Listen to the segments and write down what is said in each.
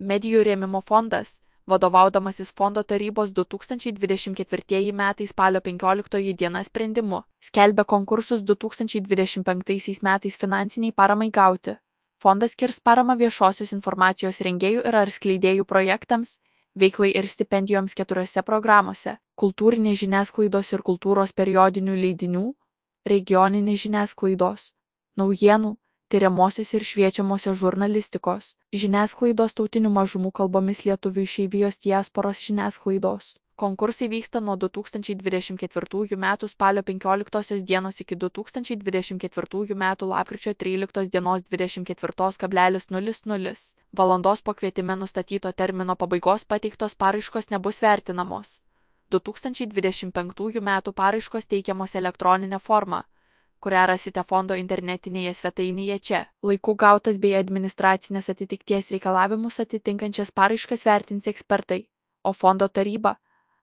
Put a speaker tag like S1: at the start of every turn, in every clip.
S1: Medijų rėmimo fondas, vadovaudamasis fondo tarybos 2024 metai spalio 15 diena sprendimu, skelbia konkursus 2025 metais finansiniai paramai gauti. Fondas skirs paramą viešosios informacijos rengėjų ir ar skleidėjų projektams, veiklai ir stipendijoms 4 programose – kultūrinės žiniasklaidos ir kultūros periodinių leidinių, regioninės žiniasklaidos, naujienų, tiriamosios ir šviečiamosios žurnalistikos, žiniasklaidos tautinių mažumų kalbomis lietuvių išeivijos diasporos žiniasklaidos. Konkursai vyksta nuo 2024 metų spalio 15 dienos iki 2024 metų lapkričio 13 dienos 24,00 valandos po kvietime nustatyto termino pabaigos pateiktos paraiškos nebus vertinamos. 2025 metų paraiškos teikiamos elektroninė forma, kurią rasite fondo internetinėje svetainėje čia. Laiku gautas bei administracinės atitikties reikalavimus atitinkančias paraiškas vertins ekspertai, o fondo taryba,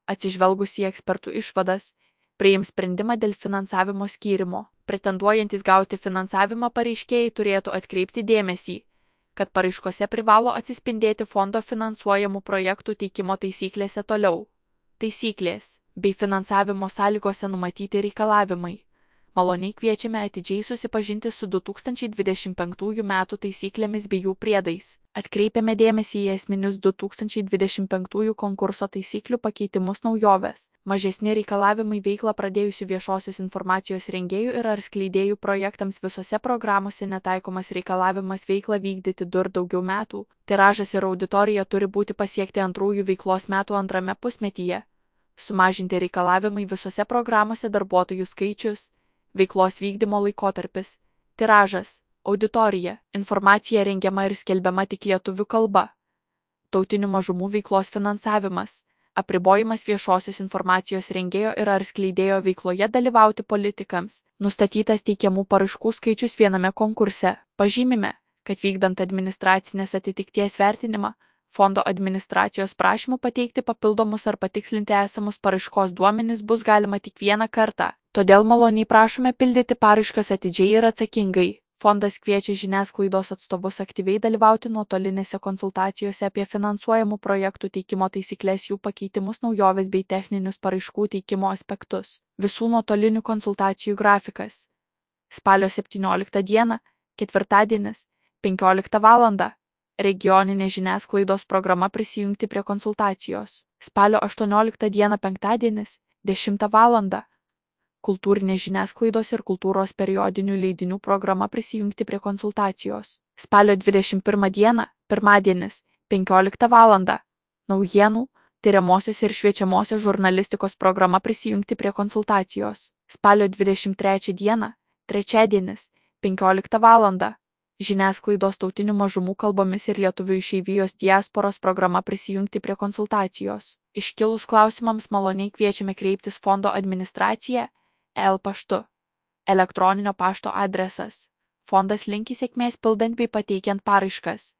S1: atsižvelgusi į ekspertų išvadas, priims sprendimą dėl finansavimo skyrimo. Pretenduojantys gauti finansavimą pareiškėjai turėtų atkreipti dėmesį, kad paraiškose privalo atsispindėti fondo finansuojamų projektų teikimo taisyklėse toliau. Taisyklės bei finansavimo sąlygose numatyti reikalavimai. Maloniai kviečiame atidžiai susipažinti su 2025 metų taisyklėmis bei jų priedais. Atkreipiame dėmesį į esminius 2025 konkurso taisyklių pakeitimus naujoves. Mažesni reikalavimai veiklą pradėjusių viešosios informacijos rengėjų ir ar skleidėjų projektams visose programose netaikomas reikalavimas veiklą vykdyti 2 ir daugiau metų. Tiražas ir auditorija turi būti pasiekti antrųjų veiklos metų antrame pusmetyje. Sumažinti reikalavimai visose programose darbuotojų skaičius. Veiklos vykdymo laikotarpis, tiražas, auditorija, informacija rengiama ir skelbiama tik lietuvių kalba, tautinių mažumų veiklos finansavimas, apribojimas viešosios informacijos rengėjo ir ar skleidėjo veikloje dalyvauti politikams, nustatytas teikiamų paraiškų skaičius viename konkurse. Pažymime, kad vykdant administracinės atitikties vertinimą, fondo administracijos prašymų pateikti papildomus ar patikslinti esamus paraiškos duomenis bus galima tik vieną kartą. Todėl maloniai prašome pildyti paraiškas atidžiai ir atsakingai. Fondas kviečia žiniasklaidos atstovus aktyviai dalyvauti nuotolinėse konsultacijose apie finansuojamų projektų teikimo taisyklės, jų pakeitimus, naujoves bei techninius paraiškų teikimo aspektus. Visų nuotolinių konsultacijų grafikas. Spalio 17 dieną, ketvirtadienis, 15 val. Regioninė žiniasklaidos programa prisijungti prie konsultacijos. Spalio 18 dieną, penktadienis, 10 val. Kultūrinės žiniasklaidos ir kultūros periodinių leidinių programa prisijungti prie konsultacijos. Spalio 21 dieną, pirmadienis, 15 val. Naujienų, tiriamosios ir šviečiamosios žurnalistikos programa prisijungti prie konsultacijos. Spalio 23 dieną, trečiadienis, 15 val. Žiniasklaidos tautinių mažumų kalbomis ir lietuvių išeivijos diasporos programa prisijungti prie konsultacijos. Iškilus klausimams maloniai kviečiame kreiptis fondo administraciją, paštu. Elektroninio pašto adresas. Fondas linki sėkmės pildant bei pateikiant paraiškas.